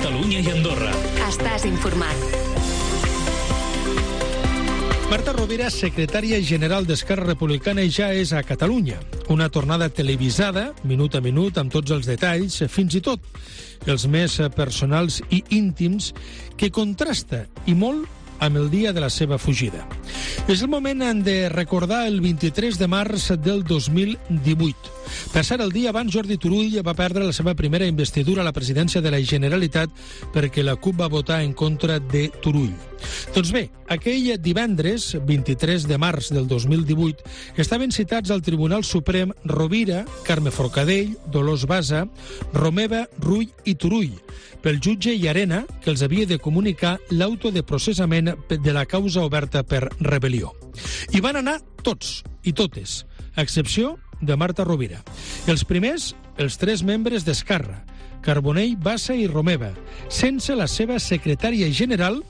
Catalunya i Andorra. Estàs informat. Marta Rovira, secretària general d'Esquerra Republicana, ja és a Catalunya. Una tornada televisada, minut a minut, amb tots els detalls, fins i tot els més personals i íntims, que contrasta, i molt, amb el dia de la seva fugida. És el moment de recordar el 23 de març del 2018. Per ser el dia abans, Jordi Turull va perdre la seva primera investidura a la presidència de la Generalitat perquè la CUP va votar en contra de Turull. Doncs bé, aquell divendres, 23 de març del 2018, estaven citats al Tribunal Suprem Rovira, Carme Forcadell, Dolors Bassa, Romeva, Rull i Turull, pel jutge Llarena, que els havia de comunicar l'auto de processament de la causa oberta per rebel·lió. Hi van anar tots i totes, a excepció de Marta Rovira. Els primers, els 3 membres d'Esquerra, Carbonell, Bassa i Romeva, sense la seva secretària general,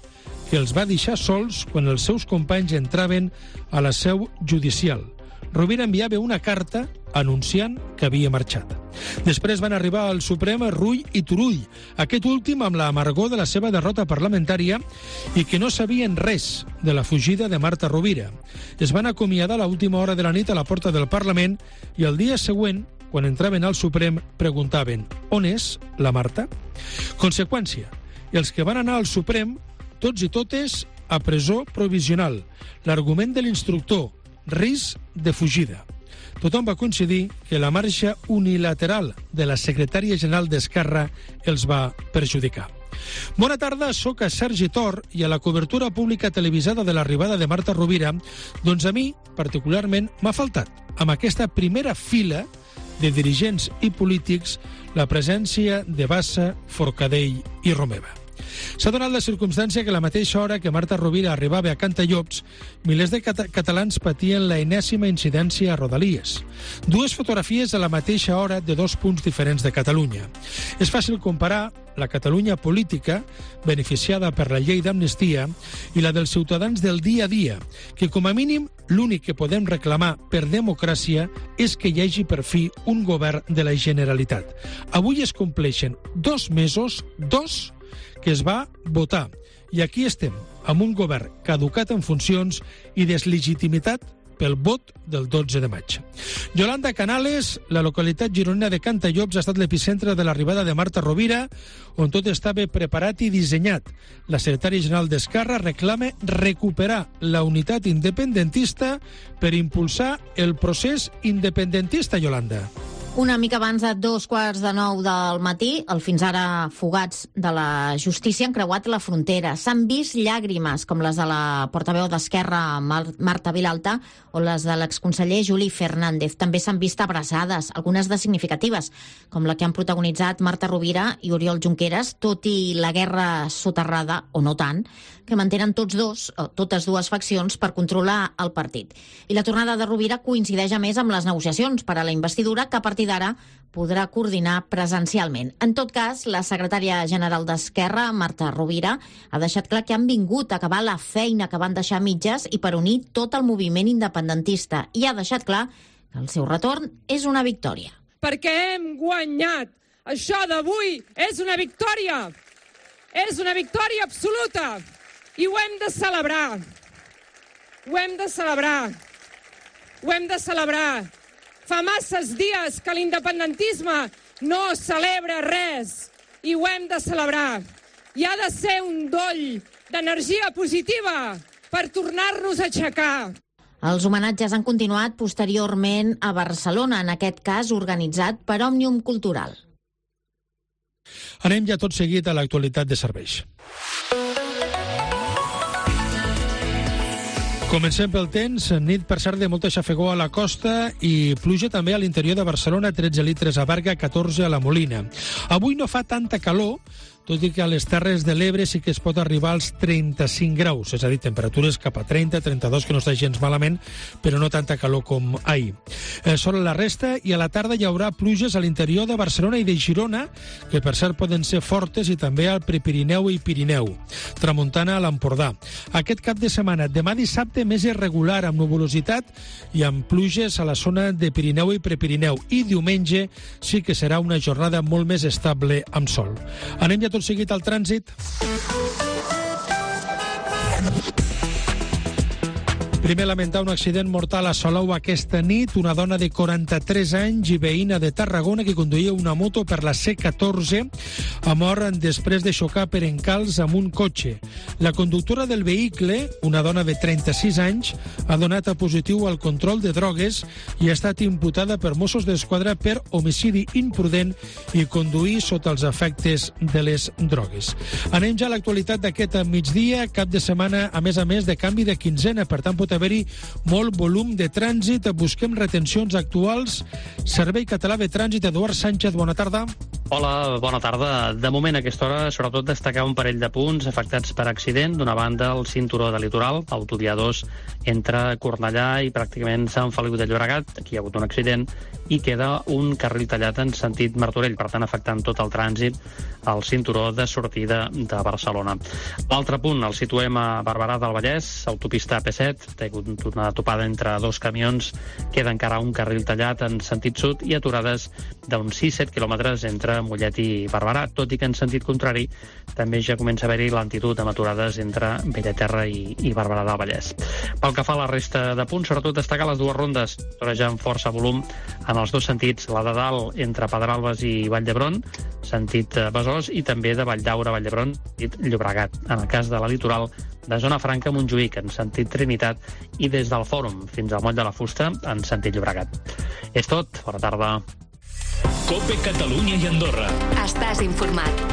que els va deixar sols quan els seus companys entraven a la seu judicial. Rovira enviava una carta anunciant que havia marxat. Després van arribar al Suprem Rull i Turull, aquest últim amb l'amargor de la seva derrota parlamentària i que no sabien res de la fugida de Marta Rovira. Es van acomiadar a l'última hora de la nit a la porta del Parlament i el dia següent, quan entraven al Suprem, preguntaven «On és la Marta?». Conseqüència, els que van anar al Suprem, tots i totes a presó provisional. L'argument de l'instructor, risc de fugida. Tothom va coincidir que la marxa unilateral de la secretària general d'Esquerra els va perjudicar. Bona tarda, soc a Sergi Tor i a la cobertura pública televisada de l'arribada de Marta Rovira, doncs a mi, particularment, m'ha faltat, amb aquesta primera fila de dirigents i polítics, la presència de Bassa, Forcadell i Romeva. S'ha donat la circumstància que a la mateixa hora que Marta Rovira arribava a Cantallops, milers de catalans patien la enèsima incidència a Rodalies. 2 fotografies a la mateixa hora de 2 punts diferents de Catalunya. És fàcil comparar la Catalunya política, beneficiada per la llei d'amnistia, i la dels ciutadans del dia a dia, que com a mínim l'únic que podem reclamar per democràcia és que hi hagi per fi un govern de la Generalitat. Avui es compleixen 2 mesos, 2, que es va votar. I aquí estem, amb un govern caducat en funcions i deslegitimitat pel vot del 12 de maig. Yolanda Canales, la localitat gironina de Cantallops, ha estat l'epicentre de l'arribada de Marta Rovira, on tot estava preparat i dissenyat. La secretària general d'Esquerra reclama recuperar la unitat independentista per impulsar el procés independentista, Yolanda. Una mica abans de 8:45 del matí, els fins ara fugats de la justícia han creuat la frontera. S'han vist llàgrimes, com les de la portaveu d'Esquerra, Marta Vilalta, o les de l'exconseller Juli Fernández. També s'han vist abraçades, algunes de significatives, com la que han protagonitzat Marta Rovira i Oriol Junqueras, tot i la guerra soterrada, o no tant, que mantenen totes dues faccions per controlar el partit. I la tornada de Rovira coincideix a més amb les negociacions per a la investidura, que a partir d'ara podrà coordinar presencialment. En tot cas, la secretària general d'Esquerra, Marta Rovira, ha deixat clar que han vingut a acabar la feina que van deixar a mitges i per unir tot el moviment independentista. I ha deixat clar que el seu retorn és una victòria. Perquè hem guanyat. Això d'avui és una victòria. És una victòria absoluta. I ho hem de celebrar. Ho hem de celebrar. Ho hem de celebrar. Fa masses dies que l'independentisme no celebra res i ho hem de celebrar. I ha de ser un doll d'energia positiva per tornar-nos a aixecar. Els homenatges han continuat posteriorment a Barcelona, en aquest cas organitzat per Òmnium Cultural. Anem ja tot seguit a l'actualitat de serveis. Comencem pel temps, nit per cert de molta xafegó a la costa i pluja també a l'interior de Barcelona, 13 litres a Berga, 14 a la Molina. Avui no fa tanta calor, tot i que a les Terres de l'Ebre sí que es pot arribar als 35 graus, és a dir, temperatures cap a 30, 32, que no està gens malament, però no tanta calor com ahir. Sobre la resta, i a la tarda hi haurà pluges a l'interior de Barcelona i de Girona, que per cert poden ser fortes, i també al Prepirineu i Pirineu. Tramuntana a l'Empordà. Aquest cap de setmana, demà dissabte, més irregular, amb nuvolositat i amb pluges a la zona de Pirineu i Prepirineu. I diumenge sí que serà una jornada molt més estable amb sol. Anem ja tot seguit al trànsit. Primer, lamentar un accident mortal a Salou aquesta nit. Una dona de 43 anys i veïna de Tarragona que conduïa una moto per la C14 ha mort després de xocar per encalç amb un cotxe. La conductora del vehicle, una dona de 36 anys, ha donat a positiu al control de drogues i ha estat imputada per Mossos d'Esquadra per homicidi imprudent i conduir sota els efectes de les drogues. Anem ja a l'actualitat d'aquest migdia, cap de setmana, a més de canvi de quinzena, per tant pot haver-hi molt volum de trànsit. Busquem retencions actuals. Servei Català de Trànsit, Eduard Sánchez, bona tarda. Hola, bona tarda. De moment, a aquesta hora, sobretot destacar un parell de punts afectats per accident. D'una banda, el cinturó de litoral, autovia 2, entre Cornellà i pràcticament Sant Feliu de Llobregat. Aquí hi ha hagut un accident i queda un carril tallat en sentit Martorell, per tant, afectant tot el trànsit al cinturó de sortida de Barcelona. L'altre punt el situem a Barberà del Vallès, autopista AP7, té una topada entre dos camions, queda encara un carril tallat en sentit sud i aturades d'uns 6-7 quilòmetres entre Mollet i Barberà, tot i que en sentit contrari també ja comença a haver-hi lentitud amb aturades entre Bellaterra i Barberà del Vallès. Pel que fa a la resta de punts, sobretot destacar les dues rondes, ja amb força volum en els dos sentits, la de dalt entre Pedralbes i Vall d'Hebron, sentit Besòs, i també de Valldaura a Vall d'Hebron, sentit Llobregat. En el cas de la litoral, de Zona Franca a Montjuïc, en sentit Trinitat, i des del Fòrum fins al Moll de la Fusta, en sentit Llobregat. És tot. Bona tarda. COPE Catalunya i Andorra. Estàs informat.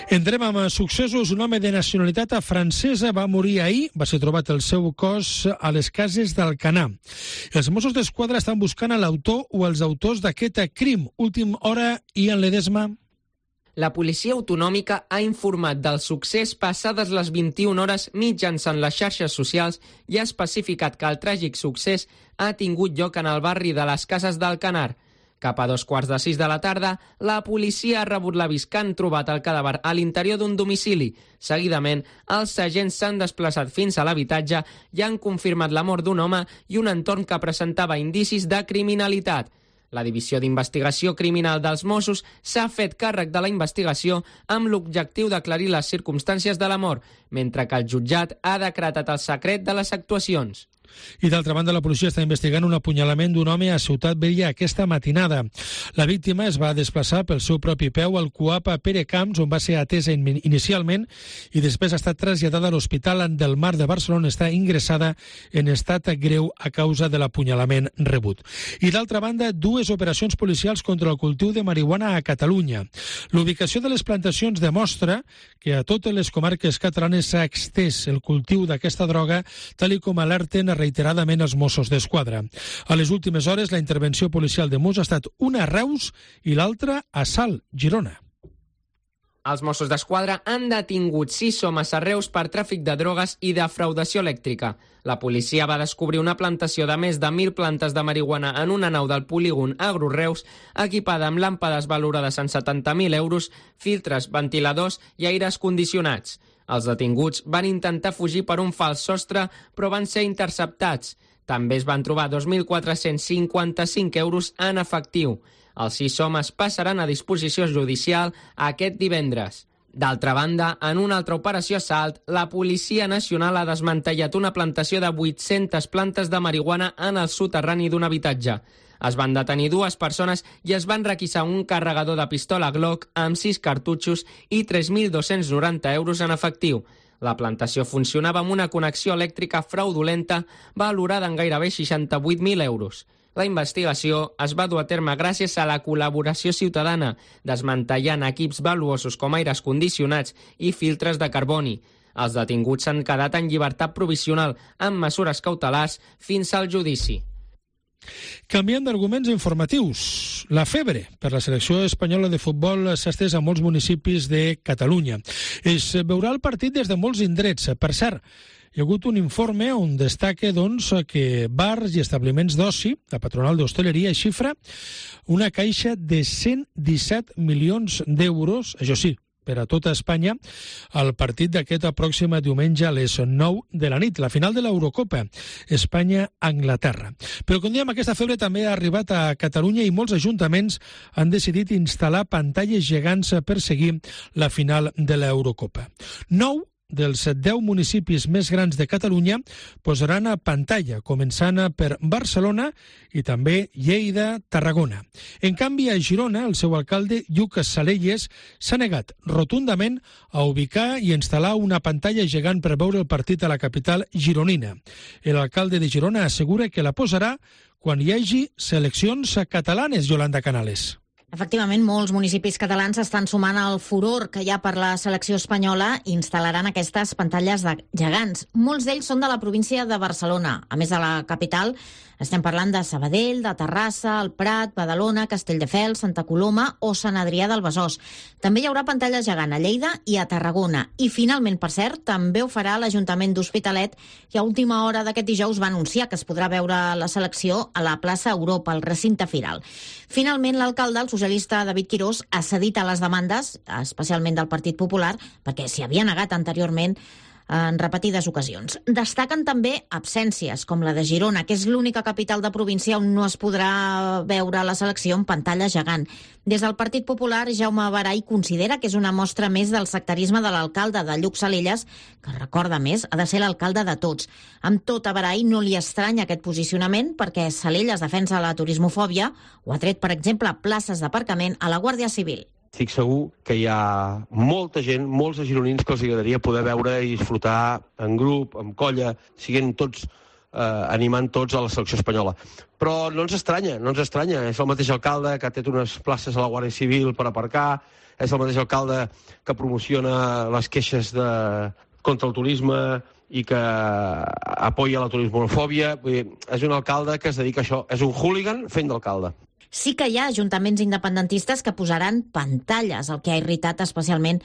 Entrem amb successos. Un home de nacionalitat francesa va morir ahir. Va ser trobat el seu cos a les cases d'Alcanar. Els Mossos d'Esquadra estan buscant a l'autor o els autors d'aquest crim. Última hora, Ian Ledesma. La policia autonòmica ha informat del succés passades les 21 hores mitjançant les xarxes socials i ha especificat que el tràgic succés ha tingut lloc en el barri de les Cases d'Alcanar. Cap a 5:15 de la tarda, la policia ha rebut l'avís que han trobat el cadàver a l'interior d'un domicili. Seguidament, els agents s'han desplaçat fins a l'habitatge i han confirmat la mort d'un home i un entorn que presentava indicis de criminalitat. La Divisió d'Investigació Criminal dels Mossos s'ha fet càrrec de la investigació amb l'objectiu d'aclarir les circumstàncies de la mort, mentre que el jutjat ha decretat el secret de les actuacions. I d'altra banda, la policia està investigant un apunyalament d'un home a Ciutat Vella aquesta matinada. La víctima es va desplaçar pel seu propi peu al CUAP a Perecamps, on va ser atesa inicialment i després ha estat traslladada a l'Hospital del Mar de Barcelona. Està ingressada en estat greu a causa de l'apunyalament rebut. I d'altra banda, dues operacions policials contra el cultiu de marihuana a Catalunya. L'ubicació de les plantacions demostra que a totes les comarques catalanes s'ha extès el cultiu d'aquesta droga, tal com alerten reiteradament els Mossos d'Esquadra. A les últimes hores, la intervenció policial de Mos ha estat una a Reus i l'altra a Salt, Girona. Els Mossos d'Esquadra han detingut 6 homes a Reus per tràfic de drogues i defraudació elèctrica. La policia va descobrir una plantació de més de 1.000 plantes de marihuana en una nau del polígon Agro Reus, equipada amb làmpades valorades en 70.000 euros, filtres, ventiladors i aires condicionats. Els detinguts van intentar fugir per un fals sostre, però van ser interceptats. També es van trobar 2.455 euros en efectiu. Els 6 homes passaran a disposició judicial aquest divendres. D'altra banda, en una altra operació a Salt, la Policia Nacional ha desmantellat una plantació de 800 plantes de marihuana en el soterrani d'un habitatge. Es van detenir 2 persones i es van requisar un carregador de pistola Glock amb 6 cartutxos i 3.290 euros en efectiu. La plantació funcionava amb una connexió elèctrica fraudulenta valorada en gairebé 68.000 euros. La investigació es va dur a terme gràcies a la col·laboració ciutadana, desmantellant equips valuosos com aires condicionats i filtres de carboni. Els detinguts s'han quedat en llibertat provisional amb mesures cautelars fins al judici. Canviant d'arguments informatius, la febre per la selecció espanyola de futbol s'ha estès a molts municipis de Catalunya. Es veurà el partit des de molts indrets. Per cert, hi ha hagut un informe on destaca que bars i establiments d'oci, la patronal d'hostaleria, xifra una caixa de 117 milions d'euros, això sí, per a tota Espanya el partit d'aquest pròxim diumenge a les 9 de la nit, la final de l'Eurocopa, Espanya-Anglaterra. Però, com diem, aquesta febre també ha arribat a Catalunya i molts ajuntaments han decidit instal·lar pantalles gegants per seguir la final de l'Eurocopa. 9 dels 10 municipis més grans de Catalunya posaran a pantalla, començant per Barcelona i també Lleida, Tarragona. En canvi, a Girona, el seu alcalde, Lluc Salelles, s'ha negat rotundament a ubicar i instal·lar una pantalla gegant per veure el partit a la capital gironina. L'alcalde de Girona assegura que la posarà quan hi hagi seleccions catalanes, Yolanda Canales. Efectivament, molts municipis catalans estan sumant al furor que hi ha per la selecció espanyola i instal·laran aquestes pantalles gegants. Molts d'ells són de la província de Barcelona. A més de la capital, estem parlant de Sabadell, de Terrassa, el Prat, Badalona, Castelldefels, Santa Coloma o Sant Adrià del Besòs. També hi haurà pantalla gegant a Lleida i a Tarragona. I finalment, per cert, també ho farà l'Ajuntament d'Hospitalet, que a última hora d'aquest dijous va anunciar que es podrà veure la selecció a la plaça Europa, al recinte firal. Finalment, l'alcalde, el socialista David Quirós, ha cedit a les demandes, especialment del Partit Popular, perquè s'hi havia negat anteriorment en repetides ocasions. Destaquen també absències, com la de Girona, que és l'única capital de província on no es podrà veure la selecció en pantalla gegant. Des del Partit Popular, Jaume Barai considera que és una mostra més del sectarisme de l'alcalde de Lluc Salelles, que recorda més, ha de ser l'alcalde de tots. Amb tot, a Barai no li estranya aquest posicionament, perquè Salelles defensa la turismofòbia o ha tret, per exemple, places d'aparcament a la Guàrdia Civil. Estic segur que hi ha molta gent, molts gironins que els agradaria poder veure i disfrutar en grup, en colla, siguent tots, animant tots a la selecció espanyola. Però no ens estranya. És el mateix alcalde que ha tret unes places a la Guàrdia Civil per aparcar, és el mateix alcalde que promociona les queixes contra el turisme i que apoya la turismofòbia. És un alcalde que es dedica a això. És un hooligan fent d'alcalde. Sí que hi ha ajuntaments independentistes que posaran pantalles, el que ha irritat especialment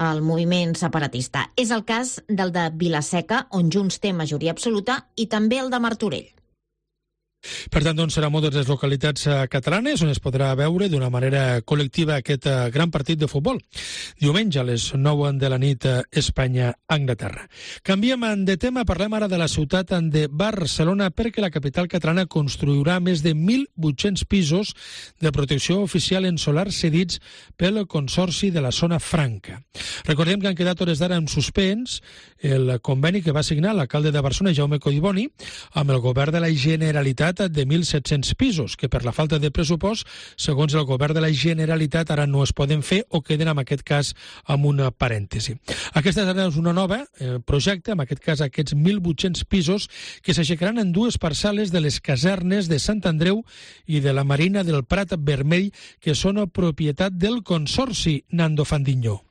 el moviment separatista. És el cas del de Vila-seca, on Junts té majoria absoluta, i també el de Martorell. Per tant, doncs, serà moltes les localitats catalanes on es podrà veure d'una manera col·lectiva aquest gran partit de futbol. Diumenge a les 9 de la nit, Espanya-Anglaterra. Canviem de tema, parlem ara de la ciutat de Barcelona, perquè la capital catalana construirà més de 1.800 pisos de protecció oficial en solar cedits pel Consorci de la Zona Franca. Recordem que han quedat hores d'ara en suspens el conveni que va signar l'alcalde de Barcelona, Jaume Collboni, amb el govern de la Generalitat de 1.700 pisos, que per la falta de pressupost, segons el govern de la Generalitat, ara no es poden fer o queden, en aquest cas, amb una parèntesi. Aquesta és una nova projecte, en aquest cas aquests 1.800 pisos, que s'aixecaran en dues parcel·les de les casernes de Sant Andreu i de la Marina del Prat Vermell, que són propietat del Consorci, Nando Fandiño.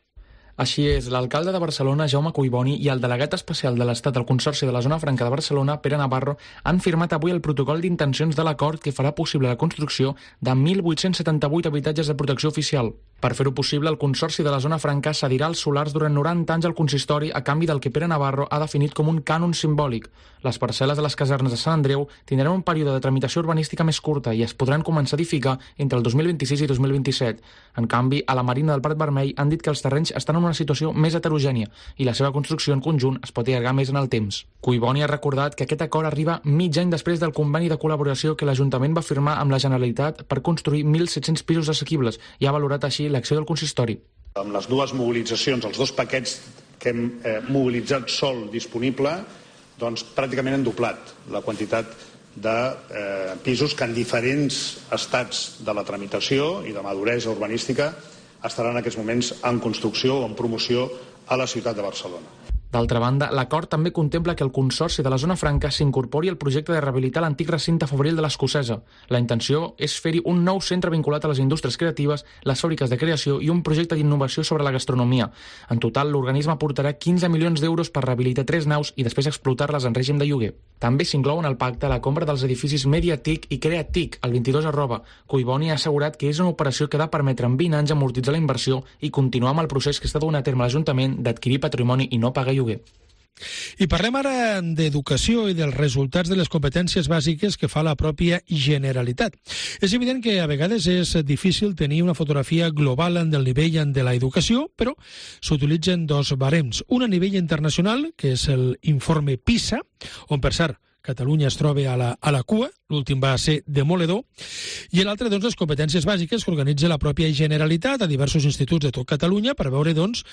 Així és, l'alcalde de Barcelona, Jaume Collboni, i el delegat especial de l'Estat al Consorci de la Zona Franca de Barcelona, Pere Navarro, han firmat avui el protocol d'intencions de l'acord que farà possible la construcció de 1.878 habitatges de protecció oficial. Per fer-ho possible, el Consorci de la Zona Franca cedirà els solars durant 90 anys al consistori a canvi del que Pere Navarro ha definit com un cànon simbòlic. Les parcel·les de les casernes de Sant Andreu tindran un període de tramitació urbanística més curta i es podran començar a edificar entre el 2026 i 2027. En canvi, a la Marina del Prat Vermell han dit que els terrenys estan en una situació més heterogènia i la seva construcció en conjunt es pot allargar més en el temps. Collboni ha recordat que aquest acord arriba mig any després del conveni de col·laboració que l'Ajuntament va firmar amb la Generalitat per construir 1.700 pisos assequibles i ha valorat així l'acció del consistori. Amb les dues mobilitzacions, els dos paquets que hem mobilitzat sol disponible, doncs pràcticament han doblat la quantitat de pisos que en diferents estats de la tramitació i de maduresa urbanística estaran en aquests moments en construcció o en promoció a la ciutat de Barcelona. D'altra banda, l'acord també contempla que el Consorci de la Zona Franca s'incorpori al projecte de rehabilitar l'antic recinte fabril de l'Escocesa. La intenció és fer-hi un nou centre vinculat a les indústries creatives, les fàbriques de creació i un projecte d'innovació sobre la gastronomia. En total, l'organisme aportarà 15 milions d'euros per rehabilitar 3 naus i després explotar-les en règim de lloguer. També s'inclou en el pacte la compra dels edificis Mediatic i Creatic, al 22@. Collboni ha assegurat que és una operació que ha de permetre en 20 anys amortitzar la inversió i continuar amb el procés que està duent a terme l'Ajuntament d'adquirir patrimoni i no pagar lloguer. I parlem ara d'educació i dels resultats de les competències bàsiques que fa la pròpia Generalitat. És evident que a vegades és difícil tenir una fotografia global del nivell de l'educació, però s'utilitzen dos barems. Un a nivell internacional, que és l'informe PISA, on, per cert, Catalunya es troba a la cua, l'últim va ser demoledor, i l'altre, doncs, les competències bàsiques que organitza la pròpia Generalitat a diversos instituts de tot Catalunya per veure, doncs,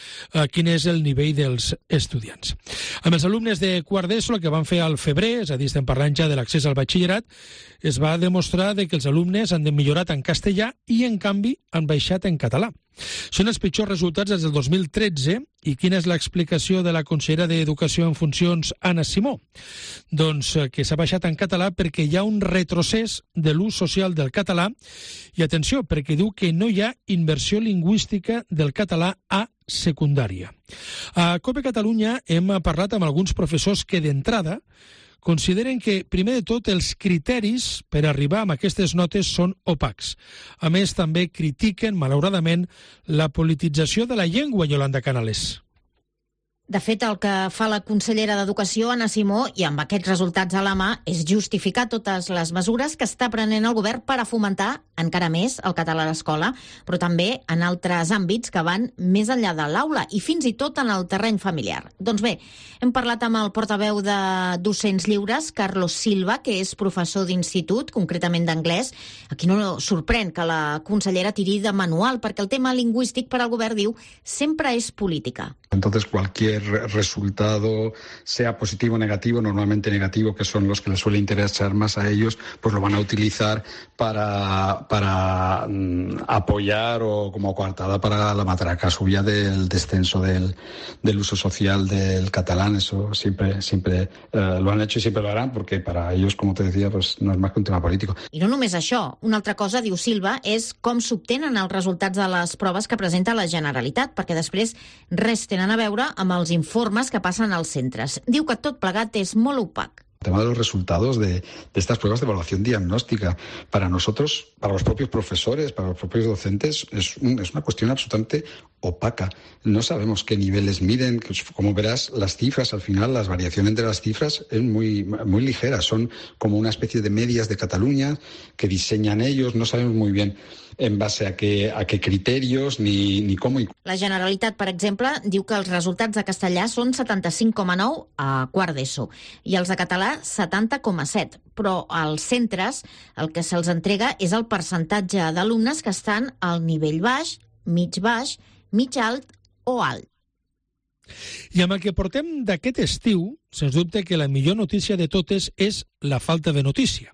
quin és el nivell dels estudiants. Amb els alumnes de quart d'ESO, el que van fer al febrer, és a dir, estem parlant ja de l'accés al batxillerat, es va demostrar que els alumnes han millorat en castellà i, en canvi, han baixat en català. Són els pitjors resultats des del 2013. I quina és l'explicació de la consellera d'Educació en funcions, Anna Simó? Doncs que s'ha baixat en català perquè hi ha un retrocés de l'ús social del català i, atenció, perquè diu que no hi ha inversió lingüística del català a secundària. A COPE Catalunya hem parlat amb alguns professors que d'entrada consideren que, primer de tot, els criteris per arribar a aquestes notes són opacs. A més, també critiquen, malauradament, la politització de la llengua, Yolanda Canales. De fet, el que fa la consellera d'Educació, Anna Simó, i amb aquests resultats a la mà, és justificar totes les mesures que està prenent el govern per a fomentar encara més el català a l'escola, però també en altres àmbits que van més enllà de l'aula i fins i tot en el terreny familiar. Doncs bé, hem parlat amb el portaveu de Docents Lliures, Carlos Silva, que és professor d'institut, concretament d'anglès. Aquí no sorprèn que la consellera tiri de manual, perquè el tema lingüístic per al govern, diu, sempre és política. Entonces, cualquier resultado, sea positivo o negativo, normalmente negativo, que son los que les suele interesar más a ellos, pues lo van a utilizar para apoyar o como coartada para la matraca suya del descenso del uso social del catalán. Eso siempre lo han hecho y siempre lo harán, porque para ellos, como te decía, pues no es más que un tema político. I no només això. Una altra cosa, diu Silva, és com s'obtenen els resultats de les proves que presenta la Generalitat, perquè després res tenen a veure amb els informes que passen als centres. Diu que tot plegat és molt opac. El tema de los resultados de estas pruebas de evaluación diagnóstica, para nosotros, para los propios profesores, para los propios docentes, es una cuestión absolutamente opaca. No sabemos qué niveles miden. Como verás, las cifras, al final, las variaciones entre las cifras es muy ligeras. Son como una especie de medias de Cataluña que diseñan ellos. No sabemos muy bien en base a qué criterios ni cómo. La Generalitat, per exemple, diu que els resultats de castellà són 75,9 a quart d'ESO i els de català 70,7. Però als centres el que se'ls entrega és el percentatge d'alumnes que estan al nivell baix, mig alt o alt. I amb el que portem d'aquest estiu, sens dubte que la millor notícia de totes és la falta de notícia.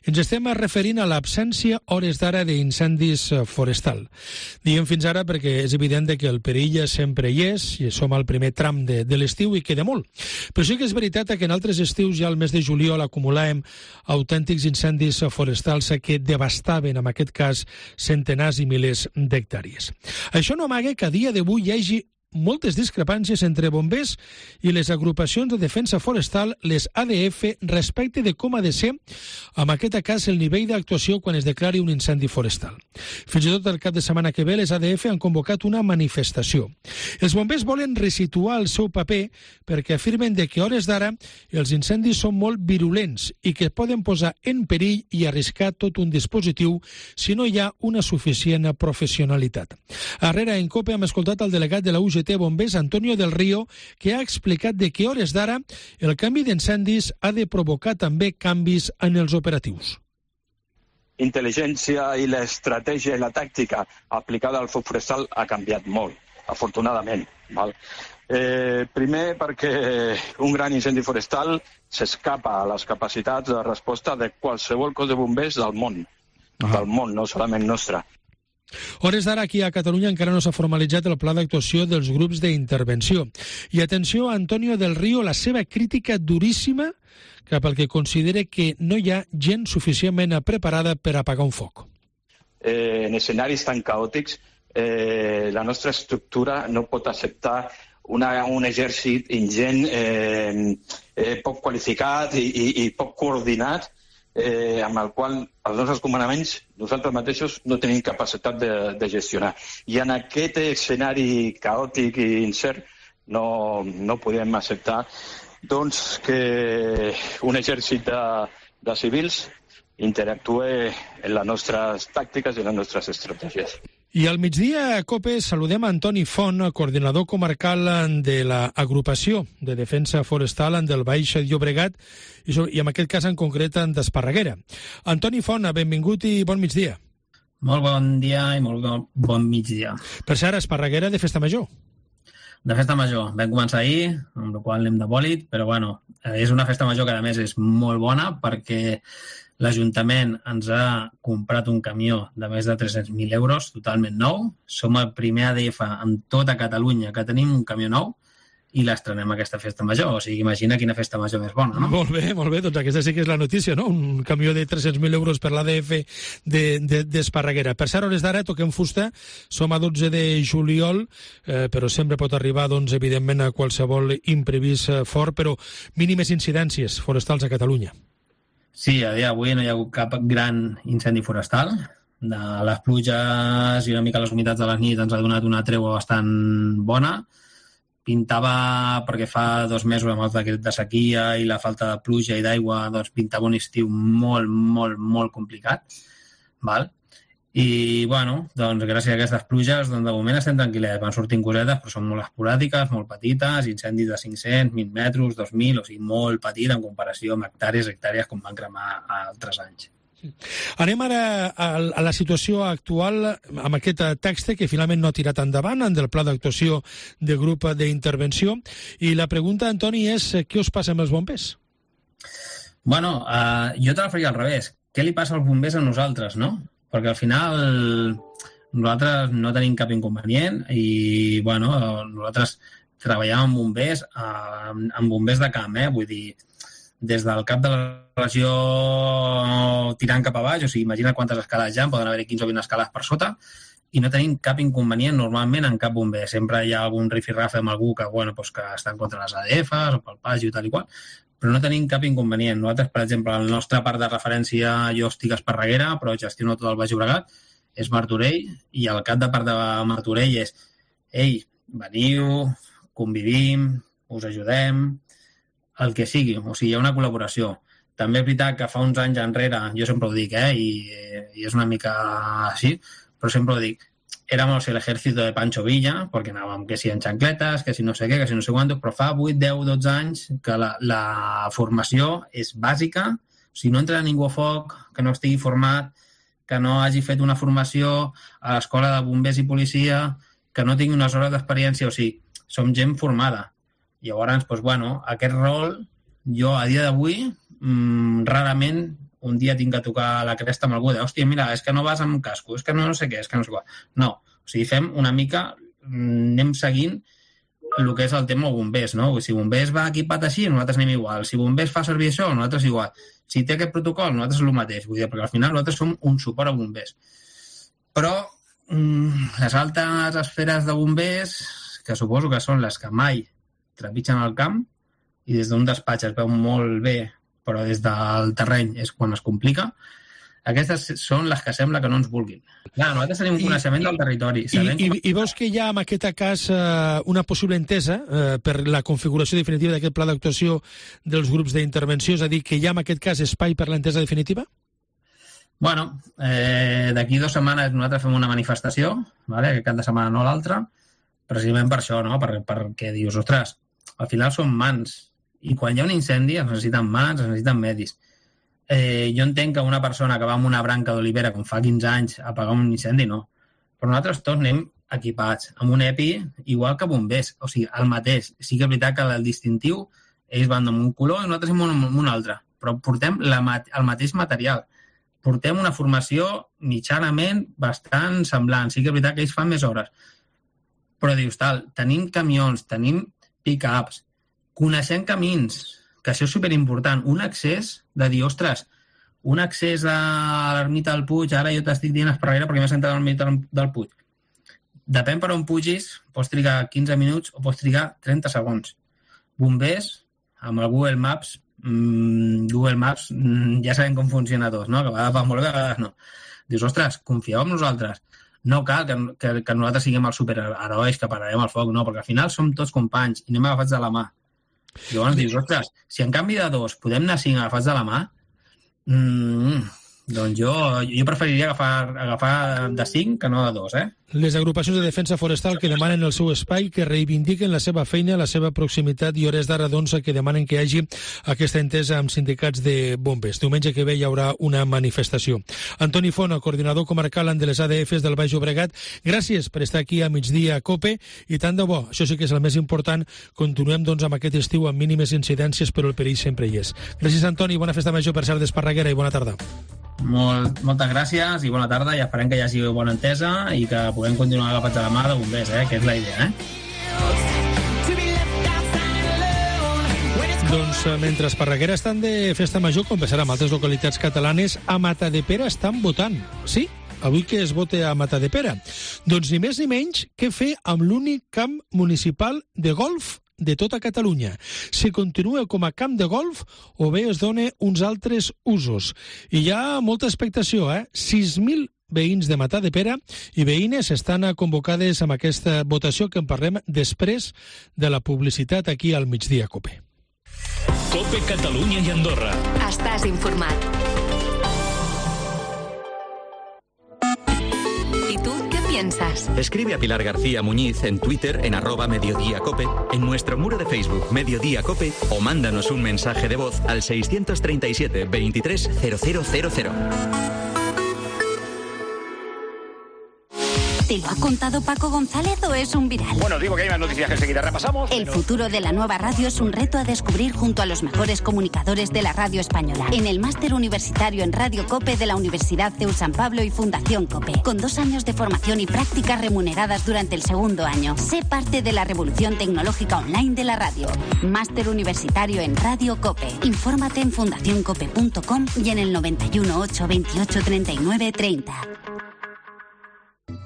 Ens estem referint a l'absència, hores d'ara, d'incendis forestal. Diem fins ara perquè és evident que el perill sempre hi és, i som al primer tram de l'estiu i queda molt. Però sí que és veritat que en altres estius, ja al mes de juliol, acumulàvem autèntics incendis forestals que devastaven, en aquest cas, centenars i milers d'hectàrees. Això no amaga que a dia d'avui hi hagi moltes discrepàncies entre bombers i les agrupacions de defensa forestal, les ADF, respecte de com ha de ser, en aquest cas, el nivell d'actuació quan es declari un incendi forestal. Fins i tot el cap de setmana que ve, les ADF han convocat una manifestació. Els bombers volen resituar el seu paper perquè afirmen que a hores d'ara els incendis són molt virulents i que poden posar en perill i arriscar tot un dispositiu si no hi ha una suficient professionalitat. Arrere, en COPE, hem escoltat el delegat de la UGT Bombers, Antonio del Río, que ha explicat que a hores d'ara el canvi d'incendis ha de provocar també canvis en els operatius. Intel·ligència i l'estratègia i la tàctica aplicada al foc forestal ha canviat molt, afortunadament. Val? Primer perquè un gran incendi forestal s'escapa a les capacitats de resposta de qualsevol cos de bombers del món, no solament nostre. Hores d'ara, aquí a Catalunya encara no s'ha formalitzat el pla d'actuació dels grups d'intervenció. I atenció a Antonio del Río, la seva crítica duríssima cap al que considera que no hi ha gent suficientment preparada per apagar un foc. En escenaris tan caòtics, la nostra estructura no pot acceptar un exèrcit ingent, poc qualificat i poc coordinat, amb el qual els nostres comandaments, nosaltres mateixos, no tenim capacitat de gestionar. I en aquest escenari caòtic i incert, no podem acceptar doncs, que un exèrcit de civils interactue en les nostres tàctiques i en les nostres estratègies. I al migdia, a COPE, saludem a Antoni Font, coordinador comarcal de l'agrupació de defensa forestal del Baix Llobregat i en aquest cas en concret d'Esparreguera. Antoni Font, benvingut i bon migdia. Molt bon dia i molt bon migdia. Per cert, Esparreguera de Festa Major. De Festa Major. Vam començar ahir, amb la qual anem de bòlit, però bueno, és una Festa Major que a més és molt bona perquè l'Ajuntament ens ha comprat un camió de més de 300.000 euros, totalment nou. Som el primer ADF en tota Catalunya que tenim un camió nou i l'estrenem aquesta Festa Major. O sigui, imagina quina Festa Major més bona, no? Molt bé. Doncs aquesta sí que és la notícia, no? Un camió de 300.000 euros per l'ADF d'Esparreguera. Per cert, hores d'ara, toquem fusta. Som a 12 de juliol, però sempre pot arribar, doncs, evidentment, a qualsevol imprevist fort, però mínimes incidències forestals a Catalunya. Sí, a dia d'avui no hi ha hagut cap gran incendi forestal. De les pluges i una mica les humitats de les nits ens ha donat una tregua bastant bona. Pintava, perquè fa 2 mesos amb el decret de sequia i la falta de pluja i d'aigua, doncs pintava un estiu molt, molt, molt complicat. Val? I, bueno, doncs gràcies a aquestes pluges, doncs de moment estem tranquil·lets. Van sortint cosetes, però són molt esporàdiques, molt petites, incendis de 500, 1.000 metres, 2.000, o sigui, molt petit en comparació amb hectàrees com van cremar altres anys. Anem ara a la situació actual amb aquest text que finalment no ha tirat endavant, del pla d'actuació de grup d'intervenció. I la pregunta, Antoni, és què us passa amb els bombers? Bueno, jo te la faria al revés. Què li passa als bombers a nosaltres, no? Perquè al final nosaltres no tenim cap inconvenient i, bueno, nosaltres treballàvem amb bombers de camp, vull dir, des del cap de la regió tirant cap a baix, o sigui, imagina quantes escales hi ha, poden haver 15 o 20 escales per sota, i no tenim cap inconvenient normalment en cap bomber. Sempre hi ha algun rifirrafe amb algú que, bueno, doncs que està en contra les ADFs o pel pagi i tal i qual, però no tenim cap inconvenient. Nosaltres, per exemple, el nostre part de referència, jo estic a Esparreguera, però gestiono tot el Baix Llobregat, és Martorell, i el cap de part de Martorell és ei, veniu, convivim, us ajudem, el que sigui. O sigui, hi ha una col·laboració. També és veritat que fa uns anys enrere, jo sempre ho dic, i és una mica així, però sempre ho dic, éramos el ejército de Pancho Villa, perquè anàvem que si en xancletes, que si no sé què, que si no sé quantos, però fa 8, 10, 12 anys que la formació és bàsica. O sigui, no entra ningú a foc que no estigui format, que no hagi fet una formació a l'escola de bombers i policia, que no tingui unes hores d'experiència. O sigui, som gent formada. Llavors, doncs, bueno, aquest rol, jo a dia d'avui, rarament un dia tinc que tocar la cresta amb algú de hòstia, mira, és que no vas amb casco, és que no sé què, és que no sé què. No, o sigui, fem una mica, anem seguint el que és el tema bombers, no? Si bombers va equipat així, nosaltres anem igual. Si bombers fa servir això, nosaltres igual. Si té aquest protocol, nosaltres és el mateix. Vull dir, perquè al final nosaltres som un suport a bombers. Però les altes esferes de bombers, que suposo que són les que mai trepitgen el camp, i des d'un despatx es veu molt bé, però des del terreny és quan es complica, aquestes són les que sembla que no ens vulguin. Clar, nosaltres tenim un coneixement del territori. I veus que hi ha en aquest cas una possible entesa per la configuració definitiva d'aquest pla d'actuació dels grups d'intervenció, és a dir, que hi ha en aquest cas espai per l'entesa definitiva? Bueno, d'aquí 2 setmanes nosaltres fem una manifestació, vale? Aquest cap de setmana no l'altre, precisament per això, no? Perquè dius, ostres, al final són mans, i quan hi ha un incendi es necessiten mans, es necessiten medis. Jo entenc que una persona que va amb una branca d'olivera com fa 15 anys a apagar un incendi, no. Però nosaltres tots anem equipats, amb un EPI igual que bombers, o sigui, el mateix. Sí que és veritat que el distintiu, ells van amb un color i nosaltres amb un altre, però portem el mateix material. Portem una formació mitjanament bastant semblant. Sí que és veritat que ells fan més hores. Però dius, tal, tenim camions, tenim pick-ups, coneixent camins, que això és superimportant. Un accés de dir, ostres, un accés a l'ermita del Puig, ara jo t'estic dient Esparreguera perquè m'he sentat a l'ermita del Puig. Depèn per on pugis, pots trigar 15 minuts o pots trigar 30 segons. Bombers, amb el Google Maps, ja sabem com funciona tot, no? Que a vegades va molt bé, a vegades no. Dius, ostres, confieu en nosaltres. no cal que nosaltres siguem els superherois que pararem el foc, no, perquè al final som tots companys i anem agafats de la mà. I llavors dius, ostres, si en canvi de 2 podem anar 5 agafats de la mà, doncs jo preferiria agafar de 5 que no de 2, Les agrupacions de defensa forestal que demanen el seu espai, que reivindiquen la seva feina, la seva proximitat i hores d'ara, doncs, que demanen que hi hagi aquesta entesa amb sindicats de bombers. Diumenge que ve hi haurà una manifestació. Antoni Font, el coordinador comarcal de les ADFs del Baix Llobregat, gràcies per estar aquí a Migdia COPE i tant de bo, això sí que és el més important, continuem doncs amb aquest estiu amb mínimes incidències, però el perill sempre hi és. Gràcies, Antoni, bona festa major per ser d'Esparreguera i bona tarda. Moltes gràcies i bona tarda, i esperem que hi hagi bona entesa i que puguem continuar agafats de la mà de bombers, que és la idea, Doncs mentre Esparreguera estan de festa major, com passarà en altres localitats catalanes, a Matadepera estan votant. Sí, avui que es vote a Matadepera. Doncs ni més ni menys que fer amb l'únic camp municipal de golf de tota Catalunya. Si continua com a camp de golf o bé es dona uns altres usos. I hi ha molta expectació, 6.000 veïns de Matadepera i veïnes estan convocades amb aquesta votació que en parlem després de la publicitat aquí al Migdia COPE. COPE Catalunya i Andorra. Estàs informat. Piensas. Escribe a Pilar García Muñiz en Twitter en @mediodíacope, en nuestro muro de Facebook Mediodía Cope o mándanos un mensaje de voz al 637 23 0000. ¿Te lo ha contado Paco González o es un viral? Bueno, digo que hay más noticias que enseguida repasamos. El futuro de la nueva radio es un reto a descubrir junto a los mejores comunicadores de la radio española. En el máster universitario en Radio COPE de la Universidad CEU San Pablo y Fundación COPE. Con 2 años de formación y prácticas remuneradas durante el segundo año. Sé parte de la revolución tecnológica online de la radio. Máster universitario en Radio COPE. Infórmate en fundacioncope.com y en el 91 828 39 30.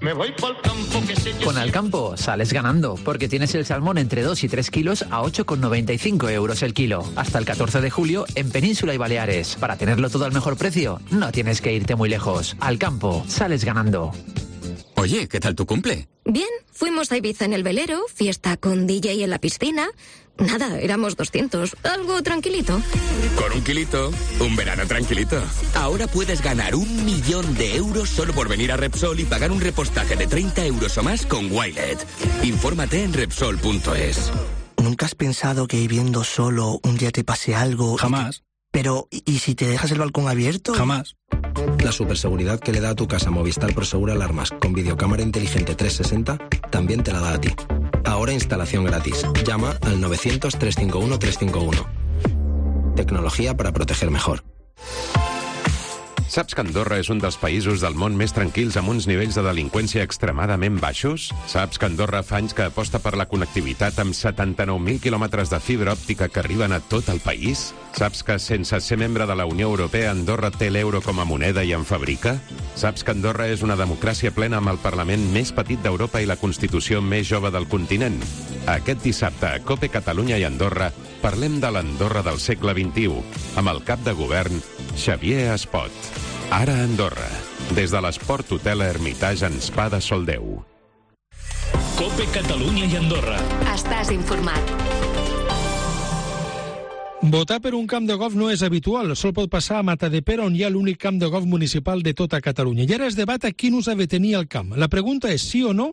Me voy pa'l campo, que sé yo. Con Alcampo sales ganando, porque tienes el salmón entre 2 y 3 kilos a 8,95 euros el kilo. Hasta el 14 de julio en Península y Baleares. Para tenerlo todo al mejor precio, no tienes que irte muy lejos. Alcampo, sales ganando. Oye, ¿qué tal tu cumple? Bien, fuimos a Ibiza en el velero, fiesta con DJ en la piscina. Nada, éramos 200, algo tranquilito. Con 1 kilito, un verano tranquilito. Ahora puedes ganar 1 millón de euros solo por venir a Repsol y pagar un repostaje de 30 euros o más con Wilet. Infórmate en Repsol.es. ¿Nunca has pensado que viviendo solo un día te pase algo? Jamás. Pero, ¿y si te dejas el balcón abierto? Jamás. La superseguridad que le da a tu casa Movistar Prosegur Alarmas con videocámara inteligente 360 también te la da a ti. Ahora instalación gratis. Llama al 900 351 351. Tecnología para proteger mejor. Saps que Andorra és un dels països del món més tranquils amb uns nivells de delinqüència extremadament baixos? Saps que Andorra fa anys que aposta per la connectivitat amb 79.000 quilòmetres de fibra òptica que arriben a tot el país? Saps que sense ser membre de la Unió Europea Andorra té l'euro com a moneda i en fabrica? Saps que Andorra és una democràcia plena amb el Parlament més petit d'Europa i la Constitució més jove del continent? Aquest dissabte a COPE Catalunya i Andorra parlem de l'Andorra del segle XXI amb el cap de govern Xavier Espot. Ara a Andorra, des de l'Esport Hotel Hermitage en Spa de Soldeu. COPE Catalunya i Andorra. Estàs informat. Votar per un camp de golf no és habitual. Sol pot passar a Matadepera, on hi ha l'únic camp de golf municipal de tota Catalunya. I ara es debat a quin ús ha de tenir el camp. La pregunta és sí o no.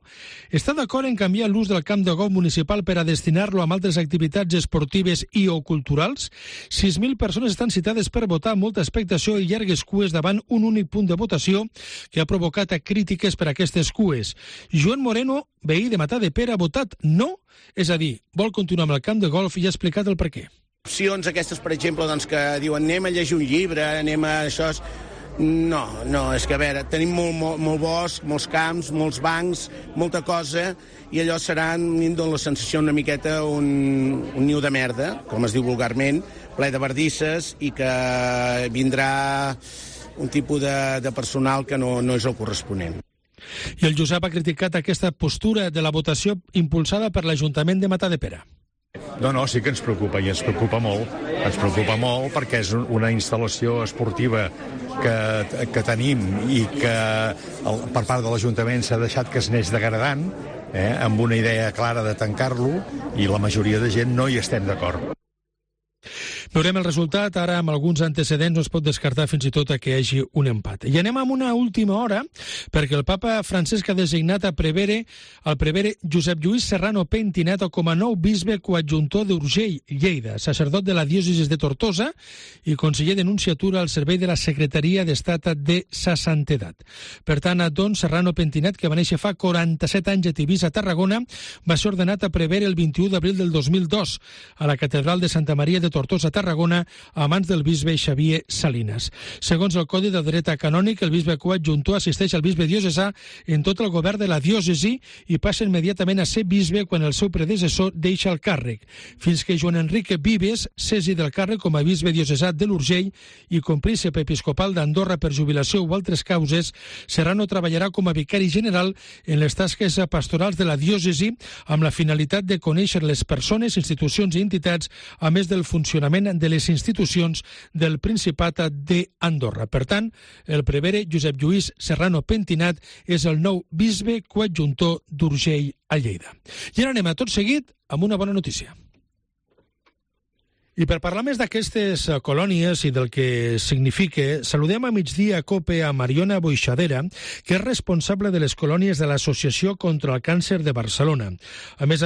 Està d'acord en canviar l'ús del camp de golf municipal per a destinar-lo a altres activitats esportives i o culturals? 6.000 persones estan citades per votar, molta expectació i llargues cues davant un únic punt de votació que ha provocat crítiques per aquestes cues. Joan Moreno, veí de Matadepera, ha votat no, és a dir, vol continuar amb el camp de golf i ha explicat el perquè. Opcions aquestes, per exemple, doncs, que diuen anem a llegir un llibre, anem a això... No, és que a veure, tenim molt bosc, molts camps, molts bancs, molta cosa, i allò serà, em dóna la sensació una miqueta un niu de merda, com es diu vulgarment, ple de bardisses, i que vindrà un tipus de personal que no és el corresponent. I el Josep ha criticat aquesta postura de la votació impulsada per l'Ajuntament de Matadepera. No, sí que ens preocupa, i ens preocupa molt. Ens preocupa molt perquè és una instal·lació esportiva que tenim i que per part de l'Ajuntament s'ha deixat que es neix degradant, amb una idea clara de tancar-lo, i la majoria de gent no hi estem d'acord. Veurem el resultat. Ara, amb alguns antecedents, no es pot descartar fins i tot que hi hagi un empat. I anem amb una última hora, perquè el papa Francesc ha designat el prevere Josep Lluís Serrano Pentinat com a nou bisbe coadjuntor d'Urgell, Lleida, sacerdot de la diòcesi de Tortosa i conseller de Nunciatura al servei de la Secretaria d'Estat de sa Santedat. Per tant, don Serrano Pentinat, que va néixer fa 47 anys a Tivissa, Tarragona, va ser ordenat a prevere el 21 d'abril del 2002 a la Catedral de Santa Maria de Tortosa, Tarragona, a mans del bisbe Xavier Salinas. Segons el Codi de Dret Canònic, el bisbe coadjuntor assisteix al bisbe diocesà en tot el govern de la diòcesi i passa immediatament a ser bisbe quan el seu predecessor deixa el càrrec, fins que Joan Enrique Vives cessi del càrrec com a bisbe diocesà de l'Urgell i com príncep episcopal d'Andorra per jubilació o altres causes. Serrano treballarà com a vicari general en les tasques pastorals de la diòcesi amb la finalitat de conèixer les persones, institucions i entitats, a més del funcionament de les institucions del Principat d'Andorra. Per tant, el prevere Josep Lluís Serrano Pentinat és el nou bisbe coadjuntor d'Urgell a Lleida. I ara anem a tot seguit amb una bona notícia. I per parlar més d'aquestes colònies i del que significa, saludem a Migdia Cope a Mariona Boixadera, que és responsable de les colònies de l'Associació contra el Càncer de Barcelona. A més,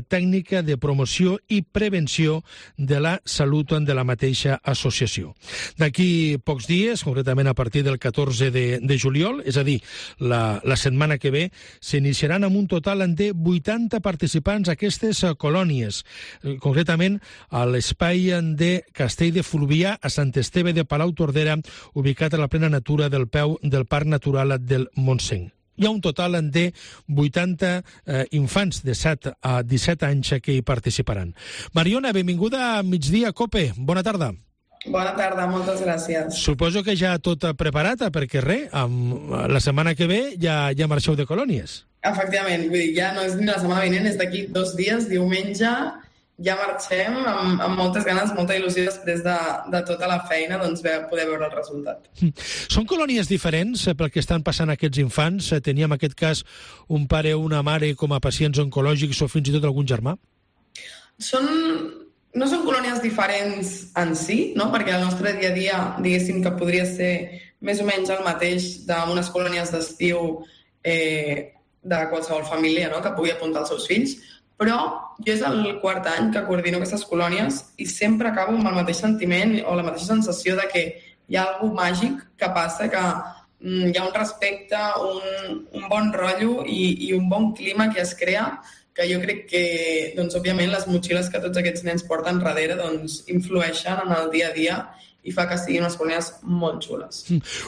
tècnica de promoció i prevenció de la salut de la mateixa associació. D'aquí pocs dies, concretament a partir del 14 de juliol, és a dir, la setmana que ve, s'iniciaran amb un total de 80 participants aquestes colònies, concretament a l'espai de Castell de Fluvià a Sant Esteve de Palau-Tordera, ubicat a la plena natura del peu del Parc Natural del Montseny. Hi ha un total de 80 infants de 7 a 17 anys que hi participaran. Mariona, benvinguda a Migdia Cope. Bona tarda. Bona tarda, moltes gràcies. Suposo que ja tot preparat, perquè la setmana que ve ja marxeu de colònies. Efectivament, vull dir, ja no és ni la setmana vinent, és d'aquí 2 dies, diumenge, ja marxem amb moltes ganes, molta il·lusió després de tota la feina, doncs poder veure el resultat. Són colònies diferents pel que estan passant aquests infants? Teníem en aquest cas un pare o una mare com a pacients oncològics o fins i tot algun germà? No són colònies diferents en si, no? Perquè el nostre dia a dia, diguéssim que podria ser més o menys el mateix d'unes colònies d'estiu de qualsevol família, no? Que pugui apuntar els seus fills, però jo és el 4è any que coordino aquestes colònies i sempre acabo amb el mateix sentiment o la mateixa sensació de que hi ha alguna màgic que passa, que hi ha un respecte, un bon rotllo i un bon clima que es crea, que jo crec que, doncs, òbviament, les motxilles que tots aquests nens porten darrere doncs, influeixen en el dia a dia i fa que siguin unes colònies molt xules.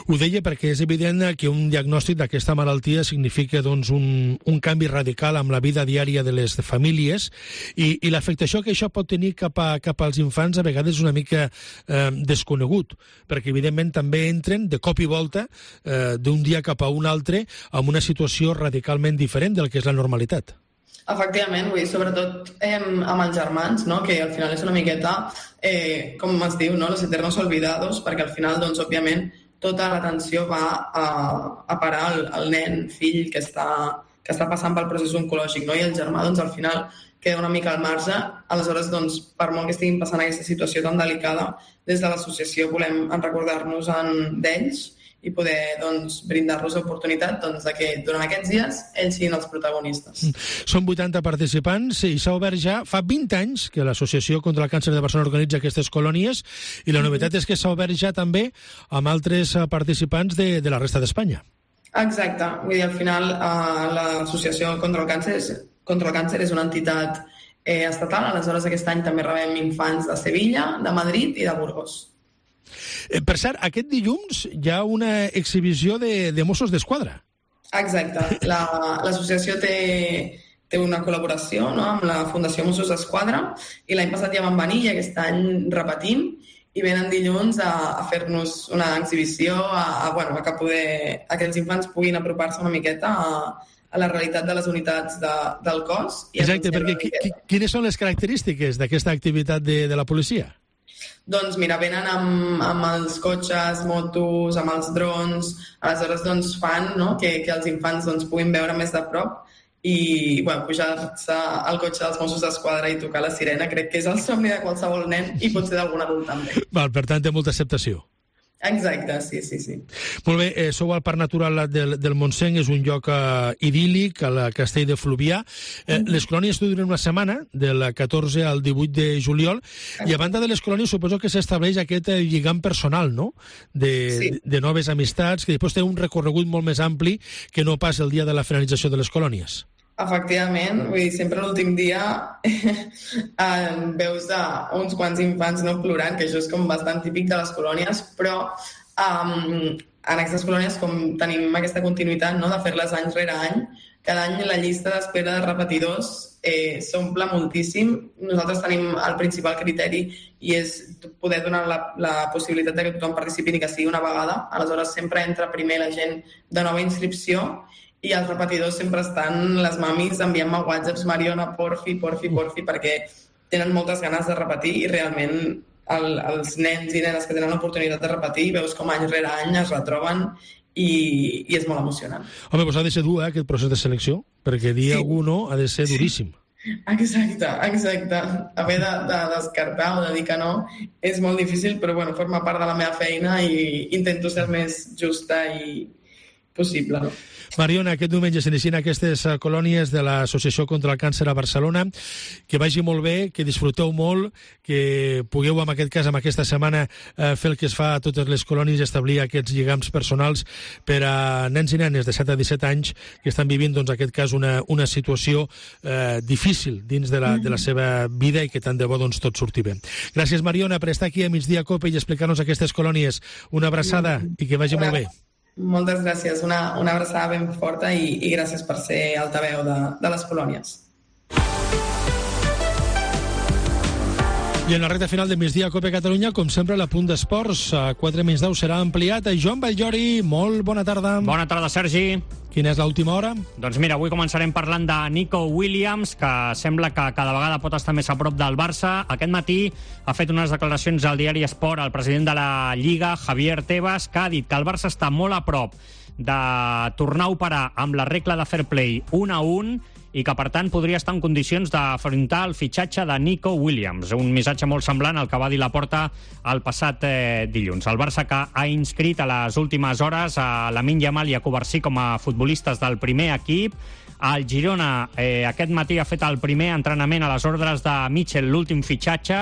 Ho deia perquè és evident que un diagnòstic d'aquesta malaltia significa doncs, un canvi radical amb la vida diària de les famílies i l'afectació que això pot tenir cap als infants a vegades és una mica desconegut, perquè evidentment també entren de cop i volta d'un dia cap a un altre amb una situació radicalment diferent del que és la normalitat. Efectivament, vull dir, sobretot amb els germans, no? Que al final és una miqueta, com es diu, no? Los eternos olvidados, perquè al final, doncs, òbviament, tota l'atenció va a parar al nen, fill, que està passant pel procés oncològic, no? I el germà, doncs, al final queda una mica al marge. Aleshores, doncs, per molt que estiguin passant aquesta situació tan delicada, des de l'associació volem recordar-nos d'ells i poder doncs, brindar-los l'oportunitat doncs, de que durant aquests dies ells siguin els protagonistes. Són 80 participants i s'ha obert ja fa 20 anys que l'Associació contra el Càncer de Barcelona organitza aquestes colònies i la novetat és que s'ha obert ja també amb altres participants de la resta d'Espanya. Exacte. Vull dir, al final l'Associació contra el Càncer és una entitat estatal, aleshores aquest any també rebem infants de Sevilla, de Madrid i de Burgos. Per cert, aquest dilluns hi ha una exhibició de Mossos d'Esquadra. Exacte. L'associació té una col·laboració, no?, amb la Fundació Mossos d'Esquadra i l'any passat ja van venir i aquest any repetim i venen dilluns a fer-nos una exhibició, a que els infants puguin apropar-se una miqueta a la realitat de les unitats del cos. Exacte, perquè quines són les característiques d'aquesta activitat de la policia? Doncs mira, venen amb els cotxes, motos, amb els drons, aleshores doncs fan, no?, que els infants doncs puguin veure més de prop i pujar-se al cotxe dels Mossos d'Esquadra i tocar la sirena crec que és el somni de qualsevol nen i potser d'algun adult també. Val, per tant, té molta acceptació. Exacte, sí. Molt bé, sou al Parc Natural del Montseny, és un lloc idíl·lic, al Castell de Fluvià. Les colònies duren una setmana, del 14 al 18 de juliol, i a banda de les colònies suposo que s'estableix aquest lligam personal, no?, de noves amistats, que després té un recorregut molt més ampli que no pas el dia de la finalització de les colònies. Efectivament, vull dir, sempre l'últim dia veus uns quants infants no plorant, que això és com bastant típic de les colònies, però en aquestes colònies, com tenim aquesta continuïtat, no?, de fer-les any rere any, cada any la llista d'espera de repetidors s'omple moltíssim. Nosaltres tenim el principal criteri i és poder donar la possibilitat que tothom participi ni que sigui una vegada. Aleshores, sempre entra primer la gent de nova inscripció i els repetidors sempre estan, les mamis enviant-me whatsapps, Mariona, porfi, perquè tenen moltes ganes de repetir i realment els nens i nenes que tenen l'oportunitat de repetir veus com any rere any es retroben i és molt emocionant. Home, doncs ha de ser dur, aquest procés de selecció, perquè dir algú no ha de ser duríssim. Exacte. Haver de descartar o de dir que no és molt difícil, però forma part de la meva feina i intento ser el més justa i possible, no? Mariona, aquest diumenge s'inicien aquestes colònies de l'Associació contra el Càncer a Barcelona. Que vagi molt bé, que disfruteu molt, que pugueu, en aquest cas, en aquesta setmana, fer el que es fa a totes les colònies, establir aquests lligams personals per a nens i nenes de 7 a 17 anys que estan vivint, doncs, en aquest cas, una situació difícil dins de la seva vida i que tant de bo, doncs, tot surti bé. Gràcies, Mariona, per estar aquí a Migdia Cope i explicar-nos aquestes colònies. Una abraçada i que vagi molt bé. Moltes gràcies, una abraçada ben forta i gràcies per ser altaveu de les colònies. I en la recta final de Migdia Cope Catalunya, com sempre, l'apunt d'esports a 4:10 serà ampliat. Joan Vallllori, molt bona tarda. Bona tarda, Sergi. Quina és l'última hora? Doncs mira, avui començarem parlant de Nico Williams, que sembla que cada vegada pot estar més a prop del Barça. Aquest matí ha fet unes declaracions al diari Esport el president de la Lliga, Javier Tebas, que ha dit que el Barça està molt a prop de tornar a operar amb la regla de fair play 1-1 i que, per tant, podria estar en condicions d'afrontar el fitxatge de Nico Williams. Un missatge molt semblant al que va dir Laporta el passat dilluns. El Barça, que ha inscrit a les últimes hores a Lamine Yamal i a Covarsí com a futbolistes del primer equip. El Girona aquest matí ha fet el primer entrenament a les ordres de Mitchell, l'últim fitxatge,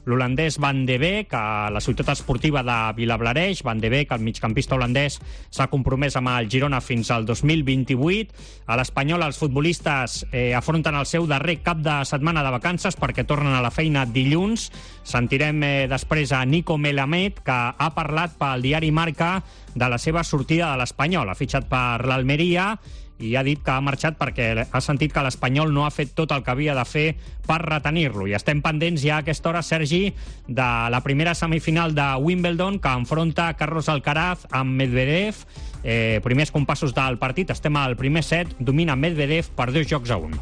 l'holandès Van de Beek, a la ciutat esportiva de Vilablareix. Van de Beek, el migcampista holandès, s'ha compromès amb el Girona fins al 2028. A l'Espanyol, els futbolistes afronten el seu darrer cap de setmana de vacances perquè tornen a la feina dilluns. Sentirem després a Nico Melamed, que ha parlat pel diari Marca de la seva sortida de l'Espanyol. Ha fitxat per l'Almeria i ha dit que ha marxat perquè ha sentit que l'Espanyol no ha fet tot el que havia de fer per retenir-lo. I estem pendents ja a aquesta hora, Sergi, de la primera semifinal de Wimbledon, que enfronta Carlos Alcaraz amb Medvedev. Primers compassos del partit, estem al primer set, domina Medvedev per 2-1.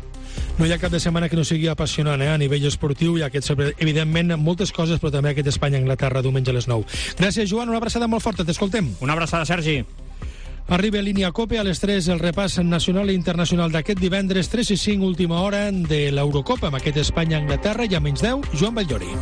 No hi ha cap de setmana que no sigui apassionant a nivell esportiu, i aquest, evidentment, moltes coses, però també aquest Espanya-Anglaterra diumenge a les 9. Gràcies, Joan, una abraçada molt forta, t'escoltem. Una abraçada, Sergi. Arriba a Línia Cope a les 3 el repàs nacional i internacional d'aquest divendres 3 i 5, última hora de l'Eurocopa, amb aquest Espanya-Anglaterra, i a menys 10, Joan Vallllori.